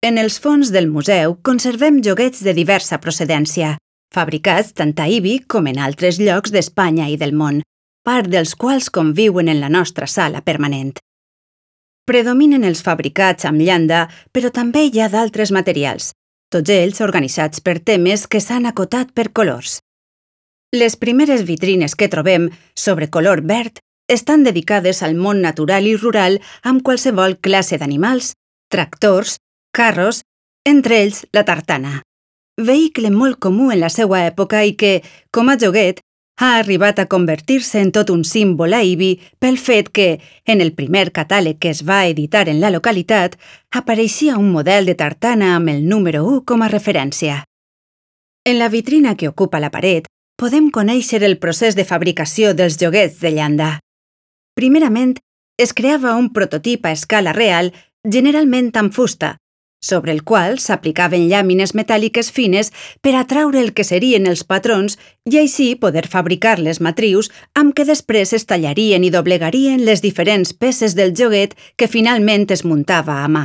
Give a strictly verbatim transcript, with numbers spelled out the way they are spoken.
En els fons del museu conservem joguets de diversa procedència, fabricats tant a Ibi com en altres llocs d'Espanya i del món, part dels quals conviuen en la nostra sala permanent. Predominen els fabricats amb llanda, però també hi ha d'altres materials, tots ells organitzats per temes que s'han acotat per colors. Les primeres vitrines que trobem, sobre color verd, estan dedicades al món natural i rural amb qualsevol classe d'animals, tractors, carros, entre ells la tartana. Vehicle molt comú en la seva època i que, com a joguet, ha arribat a convertir-se en tot un símbol a Ibi pel fet que, en el primer catàleg que es va editar en la localitat, apareixia un model de tartana amb el número u com a referència. En la vitrina que ocupa la paret, podem conèixer el procés de fabricació dels joguets de llanda. Primerament, es creava un prototip a escala real, generalment amb fusta, sobre el qual s'aplicaven llàmines metàl·liques fines per atraure el que serien els patrons i així poder fabricar les matrius amb què després es tallarien i doblegarien les diferents peces del joguet que finalment es muntava a mà.